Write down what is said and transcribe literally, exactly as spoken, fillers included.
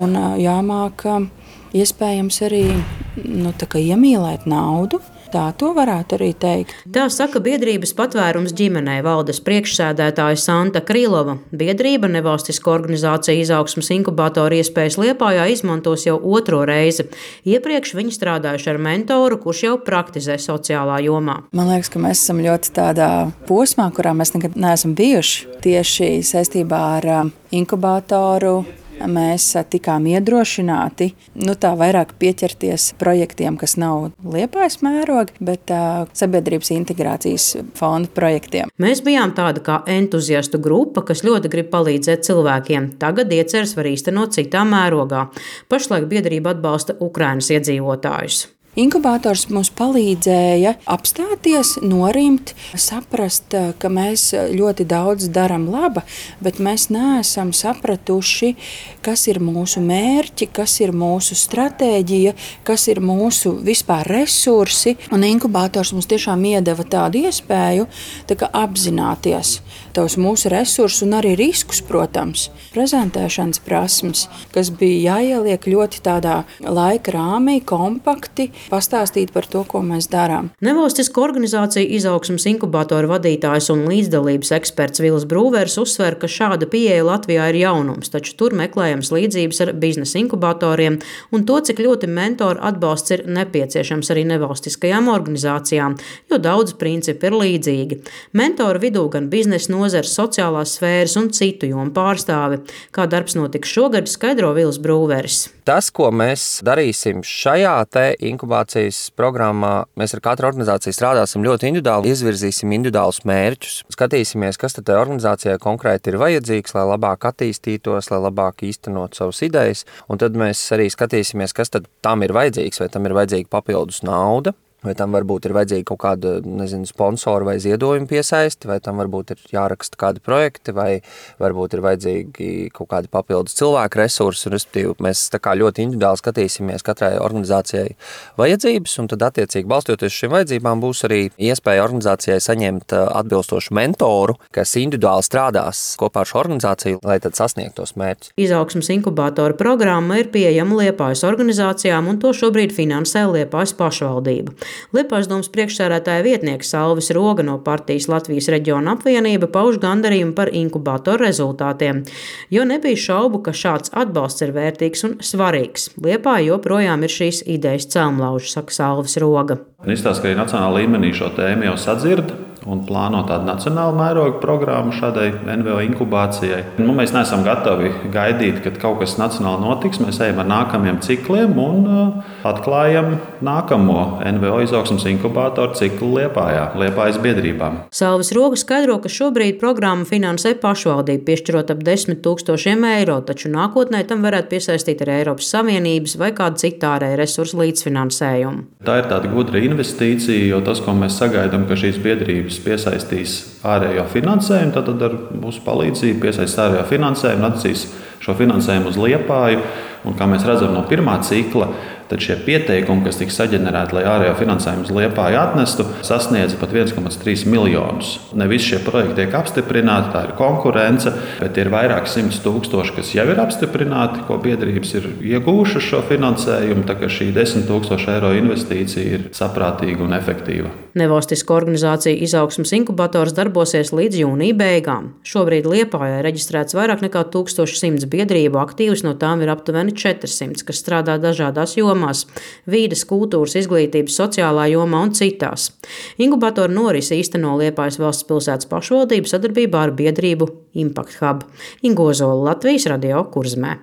Un jāmāk iespējams arī nu, iemīlēt naudu. Tā to varētu arī teikt. Tā saka biedrības Patvērums ģimenei valdes priekšsēdētāja Santa Krīlova. Biedrība nevalstisko organizāciju Izaugsmes inkubatoru iespējas Liepājā izmantos jau otro reizi. Iepriekš viņi strādājuši ar mentoru, kurš jau praktizē sociālā jomā. Man liekas, ka mēs esam ļoti tādā posmā, kurā mēs nekad neesam bijuši. Tieši saistībā ar inkubatoru mēs tikām iedrošināti, nu tā vairāk pieķerties projektiem, kas nav Liepājas mēroga, bet uh, sabiedrības integrācijas fonda projektiem. Mēs bijām tāda kā entuziastu grupa, kas ļoti grib palīdzēt cilvēkiem. Tagad ieceres var īstenot citā mērogā. Pašlaik biedrība atbalsta Ukrainas iedzīvotājus. Inkubators mums palīdzēja apstāties, norimt, saprast, ka mēs ļoti daudz darām laba, bet mēs neesam sapratuši, kas ir mūsu mērķi, kas ir mūsu stratēģija, kas ir mūsu vispār resursi. Un inkubators mums tiešām iedeva tādu iespēju tā kā apzināties tos mūsu resursus un arī riskus, protams, prezentēšanas prasmes, kas bija jāieliek ļoti tādā laika rāmī, kompakti, pastāstīt par to, ko mēs darām. Nevalstisko organizāciju Izaugsmes inkubatoru vadītājs un līdzdalības eksperts Vils Brūvers uzsver, ka šāda pieeja Latvijā ir jaunums, taču tur meklējams līdzības ar biznesa inkubatoriem un to, cik ļoti mentoru atbalsts ir nepieciešams arī nevalstiskajām organizācijām, jo daudz principi ir līdzīgi. Mentoru vidū gan biznesa nozares, sociālās sfēras un citu jomu pārstāvi. Kā darbs notiks šogad, skaidro Vils Brūveris. Tas, ko mēs darīsim šajā te inkubācijas programmā, mēs ar katru organizāciju strādāsim ļoti individuāli, izvirzīsim individuālus mērķus, skatīsimies, kas tad organizācijai konkrēti ir vajadzīgs, lai labāk attīstītos, lai labāk īstenot savas idejas, un tad mēs arī skatīsimies, kas tad tam ir vajadzīgs, vai tam ir vajadzīga papildus nauda, vai tam varbūt ir vajadzīga kaut kāda, nezinu, sponsora vai ziedojuma piesaisti, vai tam varbūt ir jāraksta kādi projekti, vai varbūt ir vajadzīgi kaut kādi papildus cilvēku resursi, un respektīvi mēs tā kā ļoti individuāli skatīsimies katrai organizācijai vajadzības, un tad attiecīgi balstoties šīm vajadzībām būs arī iespēja organizācijai saņemt atbilstošu mentoru, kas individuāli strādās kopā ar šo organizāciju, lai tad sasniegtu tos mērķus. Izaugsmes inkubatoru programma ir pieejama Liepājas organizācijām, un to šobrīd finansē Liepājas pašvaldība. Liepājas domas priekšsēdētāja vietnieks Salvis Roga no partijas Latvijas reģiona apvienība pauž gandarījumu par inkubatoru rezultātiem, jo nebija šaubu, ka šāds atbalsts ir vērtīgs un svarīgs. Liepāja joprojām ir šīs idejas celmlauži, saka Salvis Roga. Izstāsta, ka arī nacionālā līmenī šo tēmu jau sadzird un plāno tādu nacionālu mērogu programmu šādai N V O inkubācijai. Nu, mēs neesam gatavi gaidīt, kad kaut kas nacionāli notiks. Mēs ejam ar nākamajiem cikliem un uh, atklājam nākamo N V O izaugsmes inkubātoru ciklu Liepājā, Liepājas biedrībām. Salvis Roga skaidro, ka šobrīd programmu finansē pašvaldība, piešķirot ap desmit tūkstošiem eiro, taču nākotnē tam varētu piesaistīt arī Eiropas Savienības vai kādu citu ārēju resursu līdzfinansējumu. Tā ir tāda gudra investīcija, jo tas, ko mēs sagaidām, ka šīs biedrības piesaistīs ārējo finansējumu, tad, tad ar mūsu palīdzību piesaistīs ārējo finansējumu, atcīs šo finansējumu uz Liepāju. Un, kā mēs redzam no pirmā cikla, tad šie pieteikumi, kas tika saģenerēti, lai ārējo finansējumu uz Liepāju atnestu, sasniedza pat viens komats trīs miljonus. Ne visi šie projekti tiek apstiprināti, tā ir konkurence, bet ir vairāk simts tūkstoši, kas jau ir apstiprināti, ko biedrības ir iegūšas šo finansējumu, tā ka šī desmit tūkstoši eiro investīcija ir saprātīga un efektīva. Nevalstisko organizāciju Izaugsmes inkubators darbosies līdz jūnija beigām. Šobrīd Liepājā reģistrēts vairāk nekā tūkstoš simts biedrību, aktīvas no tām ir aptuveni četrsimt, kas strādā dažādās jomās – vīdes, kultūras, izglītības, sociālā jomā un citās. Inkubatoru norisi īsteno Liepājas valsts pilsētas pašvaldība sadarbībā ar biedrību Impact Hub. Inga Ozola, Latvijas radio Kurzemē.